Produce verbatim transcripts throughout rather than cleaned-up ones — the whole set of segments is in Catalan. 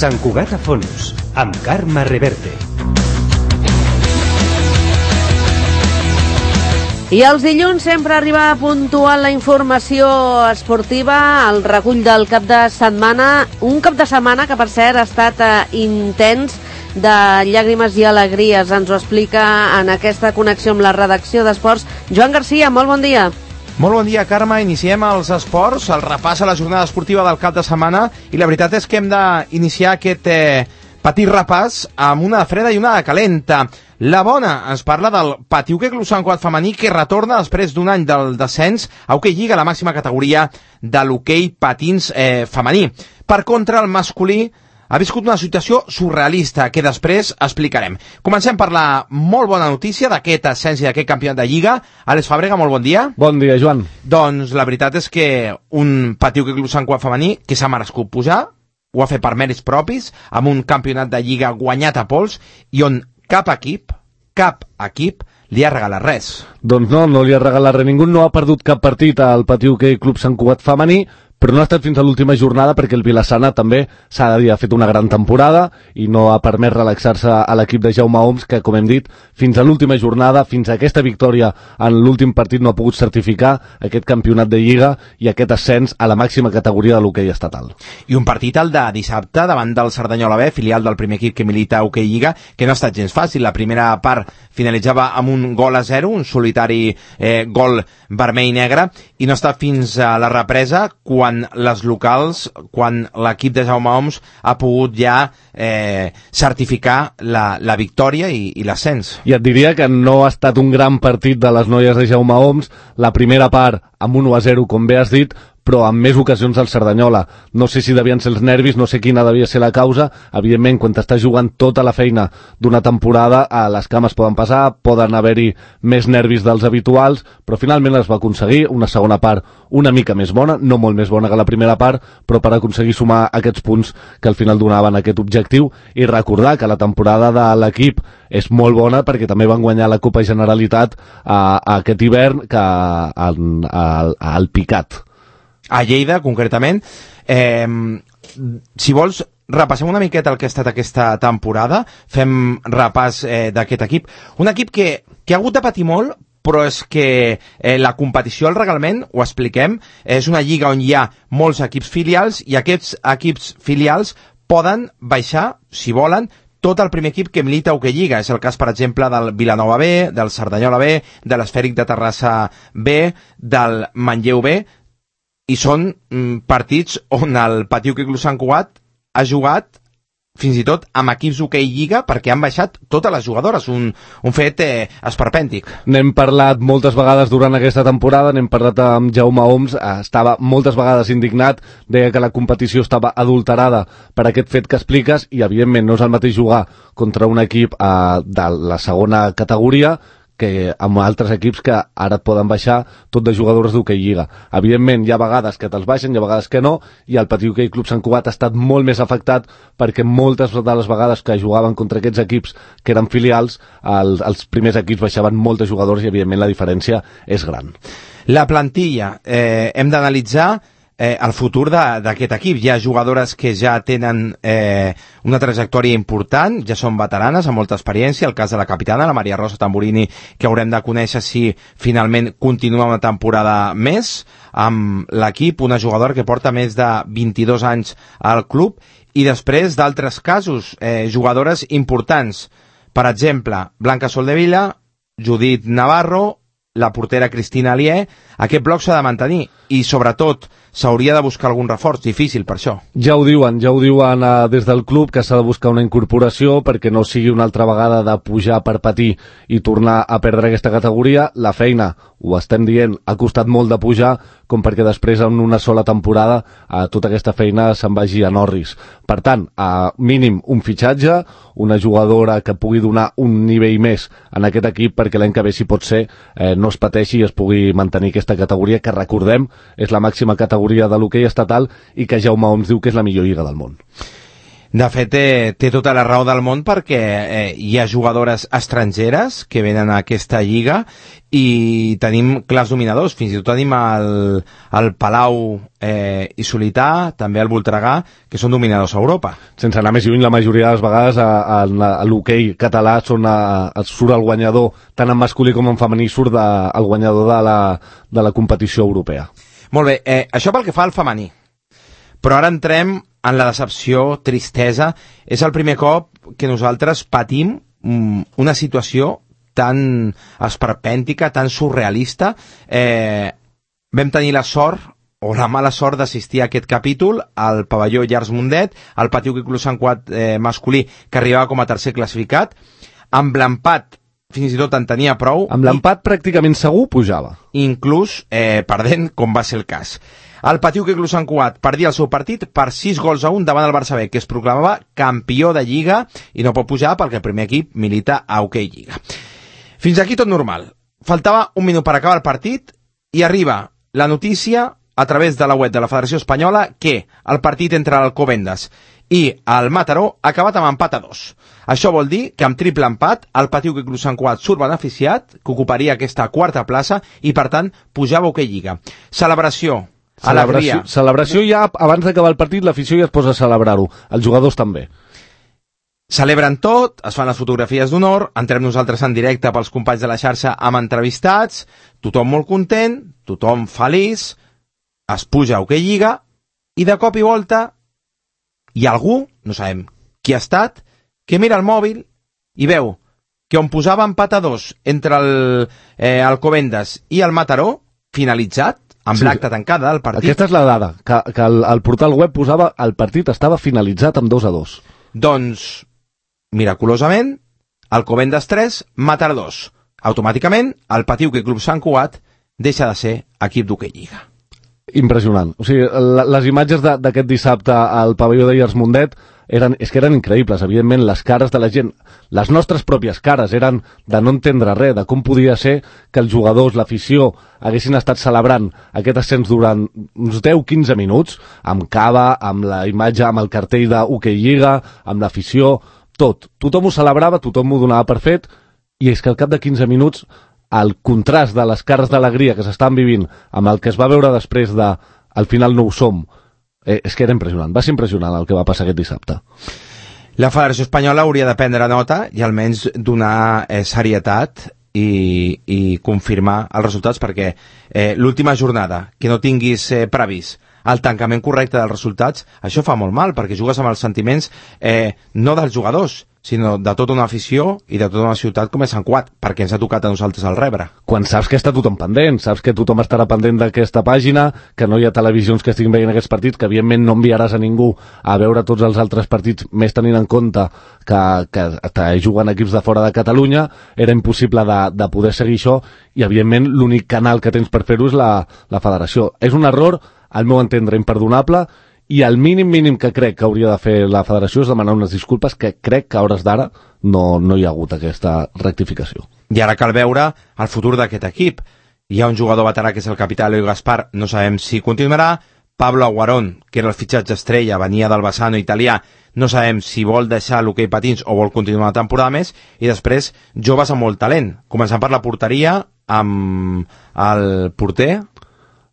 Sant Cugat a fons, amb Carme Reverte. I els dilluns sempre arriba puntual la informació esportiva, el recull del cap de setmana, un cap de setmana que per cert ha estat eh, intens, de llàgrimes i alegries. Ens ho explica en aquesta connexió amb la redacció d'Esports Joan Garcia. Molt bon dia. Molt bon dia, Carme. Iniciem els esports, el repàs a la jornada esportiva del cap de setmana, i la veritat és que hem d'iniciar aquest eh, petit repàs amb una de freda i una de calenta. La bona ens parla del Pati Hoquei Club Sant Cugat femení, que retorna després d'un any del descens a Hoquei Lliga, la màxima categoria de l'hoquei patins eh, femení. Per contra, el masculí ha viscut una situació surrealista que després explicarem. Comencem per la molt bona notícia d'aquest ascens i d'aquest campionat de Lliga. Àlex Fàbrega, molt bon dia. Bon dia, Joan. Doncs la veritat és que un Pati Hoquei Club Sant Cugat femení que s'ha merescut pujar, ho ha fet per mèrits propis, amb un campionat de Lliga guanyat a pols, i on cap equip, cap equip li ha regalat res. Doncs no, no li ha regalat res. Ningú no ha perdut cap partit al Pati Hoquei Club Sant Cugat femení, però no ha estat fins a l'última jornada perquè el Vilassana també s'ha de dir, ha fet una gran temporada i no ha permès relaxar-se a l'equip de Jaume Oms, que, com hem dit, fins a l'última jornada, fins a aquesta victòria en l'últim partit, no ha pogut certificar aquest campionat de Lliga i aquest ascens a la màxima categoria de l'hoquei estatal. I un partit, el de dissabte, davant del Cerdanyola B, filial del primer equip que milita a Hoquei Lliga, que no ha estat gens fàcil. La primera part finalitzava amb un gol a zero, un solitari eh, gol vermell-negre, i no està fins a la represa quan les locals, quan l'equip de Jaume Oms ha pogut ja eh, certificar la, la victòria i, i l'ascens. I et diria que no ha estat un gran partit de les noies de Jaume Oms, la primera part amb un u a zero, com bé has dit, però en més ocasions al Cerdanyola. No sé si devien ser els nervis, no sé quina devia ser la causa. Evidentment, quan t'estàs jugant tota la feina d'una temporada, a les cames poden passar, poden haver-hi més nervis dels habituals, però finalment es va aconseguir una segona part una mica més bona, no molt més bona que la primera part, però per aconseguir sumar aquests punts que al final donaven aquest objectiu, i recordar que la temporada de l'equip és molt bona perquè també van guanyar la Copa Generalitat a, a aquest hivern que al, al, al Picat. A Lleida, concretament. Eh, si vols, repassem una miqueta el que ha estat aquesta temporada, fem repàs eh, d'aquest equip. Un equip que, que ha hagut de patir molt, però és que eh, la competició al reglament, ho expliquem, és una lliga on hi ha molts equips filials, i aquests equips filials poden baixar, si volen, tot el primer equip que milita a Hoquei Lliga. És el cas, per exemple, del Vilanova B, del Cerdanyola B, de l'Esfèric de Terrassa B, del Manlleu B, i són mm, partits on el Pati Hoquei Club Sant Cugat ha jugat fins i tot amb equips d'Hoquei Lliga, perquè han baixat totes les jugadores, un, un fet eh, esperpèntic. N'hem parlat moltes vegades durant aquesta temporada, n'hem parlat amb Jaume Oms, eh, estava moltes vegades indignat, deia que la competició estava adulterada per aquest fet que expliques, i evidentment no és el mateix jugar contra un equip eh, de la segona categoria que amb altres equips que ara et poden baixar tot de jugadors d'Hoquei Lliga. Evidentment, hi ha vegades que te'ls baixen, hi ha vegades que no, i el Pati Hoquei Club Sant Cugat ha estat molt més afectat perquè moltes de les vegades que jugaven contra aquests equips que eren filials, el, els primers equips baixaven moltes jugadors i, evidentment, la diferència és gran. La plantilla, eh, hem d'analitzar Eh, el futur d'aquest equip. Hi ha jugadores que ja tenen eh, una trajectòria important, ja són veteranes, amb molta experiència. El cas de la capitana, la Maria Rosa Tamburini, que haurem de conèixer si finalment continua una temporada més amb l'equip, una jugadora que porta més de vint-i-dos anys al club, i després d'altres casos, eh, jugadores importants, per exemple, Blanca Soldevila, Judit Navarro, la portera Cristina Alié. Aquest bloc s'ha de mantenir i, sobretot, s'hauria de buscar algun reforç. Difícil per això. Ja ho diuen, ja ho diuen eh, des del club, que s'ha de buscar una incorporació perquè no sigui una altra vegada de pujar per patir i tornar a perdre aquesta categoria. La feina, ho estem dient, ha costat molt de pujar com perquè després en una sola temporada eh, tota aquesta feina se'n vagi a Norris. Per tant, a mínim un fitxatge, una jugadora que pugui donar un nivell més en aquest equip perquè l'any que ve, si pot ser, eh, no es pateixi i es pugui mantenir aquesta categoria, que recordem és la màxima categoria de l'hoquei estatal i que Jaume Oms diu que és la millor lliga del món. De fet, té, té tota la raó del món perquè eh, hi ha jugadores estrangeres que venen a aquesta lliga i tenim clars dominadors, fins i tot tenim el, el Palau eh, i Solità, també el Voltregà, que són dominadors a Europa. Sense anar més lluny, la majoria de les vegades a, a, a l'hoquei català són a, a, surt el guanyador, tant en masculí com en femení, surt de, el guanyador de la, de la competició europea. Molt bé, eh, això pel que fa al femení. Però ara entrem en la decepció, tristesa. És el primer cop que nosaltres patim mm, una situació tan esperpèntica, tan surrealista. Eh, vam tenir la sort o la mala sort d'assistir a aquest capítol al pavelló Llars Mundet, al Pati Hoquei Club Sant Cugat eh, masculí, que arribava com a tercer classificat, amb l'empat fins i tot en tenia prou. Amb l'empat i, pràcticament segur pujava. Inclús eh, perdent, com va ser el cas. El Pati Hoquei Club Sant Cugat perdia el seu partit per sis gols a un davant el Barça B, que es proclamava campió de Lliga i no pot pujar perquè el primer equip milita a Hoquei Lliga. Fins aquí tot normal. Faltava un minut per acabar el partit i arriba la notícia a través de la web de la Federació Espanyola que el partit entre l'Alcobendas i el Mataró ha acabat amb empat a dos. Això vol dir que amb triple empat el Pati Hoquei Club Sant Cugat surt beneficiat, que ocuparia aquesta quarta plaça i per tant pujava a Hoquei Lliga. Celebració, alegria. Celebració, celebració ja abans d'acabar el partit, l'afició ja es posa a celebrar-ho. Els jugadors també. Celebren tot, es fan les fotografies d'honor, entrem nosaltres en directe pels companys de la xarxa amb entrevistats, tothom molt content, tothom feliç, es puja a Hoquei Lliga i de cop i volta hi ha algú, no sabem qui ha estat, que mira el mòbil i veu que on posava empat a dos entre el eh, Alcobendas i el Mataró, finalitzat, amb sí, l'acta tancada del partit. Aquesta és la dada, que, que el, el portal web posava el partit estava finalitzat amb dos a dos. Doncs miraculosament, Alcobendas tres, Mataró dos. Automàticament, el Pati Hoquei Club Sant Cugat deixa de ser equip d'Hoquei Lliga. Impressionant. O sigui, les imatges d'aquest dissabte al pavelló de Llars Mundet eren, és que eren increïbles. Evidentment, les cares de la gent, les nostres pròpies cares, eren de no entendre res, de com podia ser que els jugadors, l'afició, haguessin estat celebrant aquest ascens durant uns deu a quinze minuts, amb cava, amb la imatge, amb el cartell d'Hoquei Lliga, amb l'afició, tot. Tothom ho celebrava, tothom ho donava per fet, i és que al cap de quinze minuts el contrast de les cares d'alegria que s'estan vivint amb el que es va veure després de al final no ho som, eh, és que era impressionant, va ser impressionant el que va passar aquest dissabte. La Federació Espanyola hauria de prendre nota i almenys donar eh, serietat i, i confirmar els resultats, perquè eh, l'última jornada que no tinguis eh, previst el tancament correcte dels resultats, això fa molt mal, perquè jugues amb els sentiments eh, no dels jugadors, sinó de tota una afició i de tota una ciutat com és Sant Cugat, perquè ens ha tocat a nosaltres el rebre. Quan saps que està tothom pendent, saps que tothom estarà pendent d'aquesta pàgina, que no hi ha televisions que estiguin veient aquests partits, que evidentment no enviaràs a ningú a veure tots els altres partits, més tenint en compte que, que, que juguen equips de fora de Catalunya, era impossible de, de poder seguir això, i evidentment l'únic canal que tens per fer-ho és la, la federació. És un error, al meu entendre, imperdonable, i el mínim mínim que crec que hauria de fer la federació és demanar unes disculpes, que crec que a hores d'ara no, no hi ha hagut aquesta rectificació. I ara cal veure el futur d'aquest equip. Hi ha un jugador veterà que és el capità Eloi Gaspar, no sabem si continuarà. Pablo Aguarón, que era el fitxatge estrella, venia del Bassano italià, no sabem si vol deixar l'hoquei patins o vol continuar una temporada més. I després, joves amb molt talent, començant per la porteria amb el porter.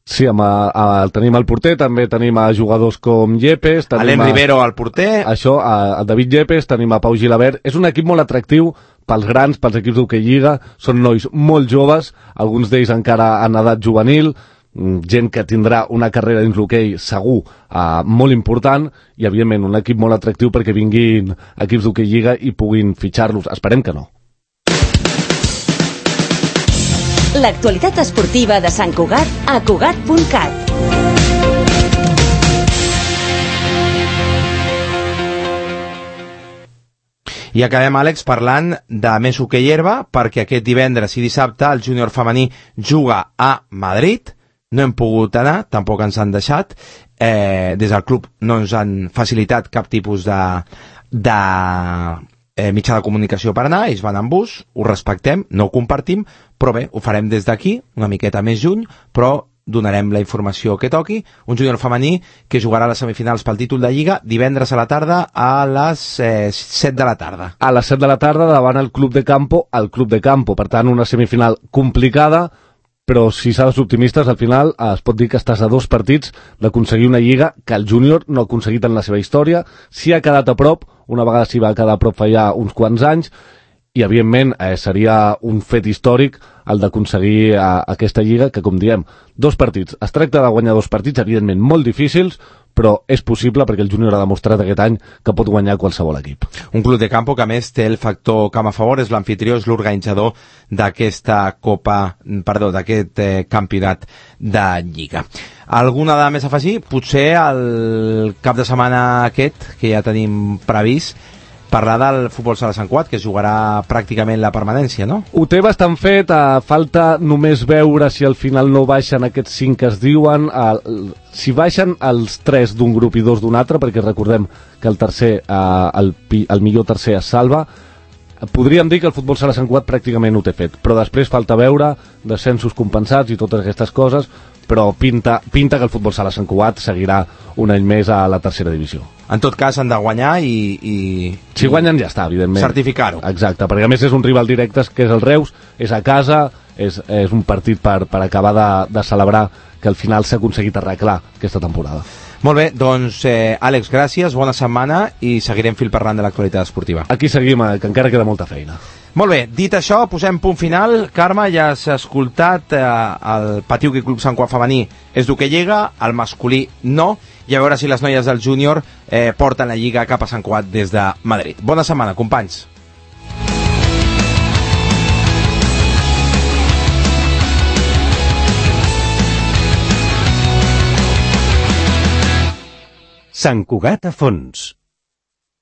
Sí, amb a, a, tenim el porter, també tenim a jugadors com Yepes, tenim Alem Rivero al porter, això, a, a David Yepes, tenim a Pau Gilabert. És un equip molt atractiu pels grans, pels equips d'Hoquei Lliga, són nois molt joves, alguns d'ells encara en edat juvenil, gent que tindrà una carrera dins l'hoquei segur uh, molt important, i evidentment un equip molt atractiu perquè vinguin equips d'Hoquei Lliga i puguin fitxar-los. Esperem que no. L'actualitat esportiva de Sant Cugat a Cugat punt cat. I acabem, Àlex, parlant de més hoquei herba, perquè aquest divendres i dissabte el júnior femení juga a Madrid. No hem pogut anar, tampoc ens han deixat. Eh, des del club no ens han facilitat cap tipus de... de Eh, mitjà de comunicació per anar, ells van en bus, ho respectem, no ho compartim, però bé, ho farem des d'aquí, una miqueta més juny, però donarem la informació que toqui. Un júnior femení que jugarà a les semifinals pel títol de Lliga divendres a la tarda a les eh, set de la tarda. A les set de la tarda davant el Club de Campo, al Club de Campo. Per tant, una semifinal complicada, però si s'ha de ser optimistes, al final eh, es pot dir que estàs a dos partits d'aconseguir una Lliga que el júnior no ha aconseguit en la seva història. Si ha quedat a prop, una vegada s'hi va quedar a prop fa ja uns quants anys, i evidentment eh, seria un fet històric el d'aconseguir eh, aquesta Lliga, que com diem, dos partits. Es tracta de guanyar dos partits, evidentment molt difícils, però és possible perquè el júnior ha demostrat aquest any que pot guanyar qualsevol equip. Un Club de Campo que a més té el factor camp a favor, és l'anfitrió, és l'organitzador d'aquesta Copa, perdó, d'aquest eh, campionat de Lliga. Alguna dada més a afegir? Potser el cap de setmana aquest, que ja tenim previst, parlar del futbol sala Sant Cugat, que jugarà pràcticament la permanència, no? Ho té bastant fet, eh, falta només veure si al final no baixen aquests cinc que es diuen, eh, si baixen els tres d'un grup i dos d'un altre, perquè recordem que el tercer, eh, el, el millor tercer es salva. Podríem dir que el futbol sala Sant Cugat pràcticament ho té fet, però després falta veure descensos compensats i totes aquestes coses, però pinta, pinta que el futbol sala Sant Cugat seguirà un any més a la tercera divisió. En tot cas, han de guanyar i... i si guanyen ja està, evidentment. Certificar-ho. Exacte, perquè a més és un rival directe, que és el Reus, és a casa, és, és un partit per, per acabar de, de celebrar que al final s'ha aconseguit arreglar aquesta temporada. Molt bé, doncs, eh, Àlex, gràcies, bona setmana i seguirem fil parlant de l'actualitat esportiva. Aquí seguim, eh, que encara queda molta feina. Molt bé, dit això, posem punt final. Carme, ja has escoltat eh, el Patiuqui Club Sant Cugat femení és d'hoquei Lliga, el masculí no, i a veure si les noies del júnior eh, porten la Lliga cap a Sant Cugat des de Madrid. Bona setmana, companys. Sant Cugat a fons.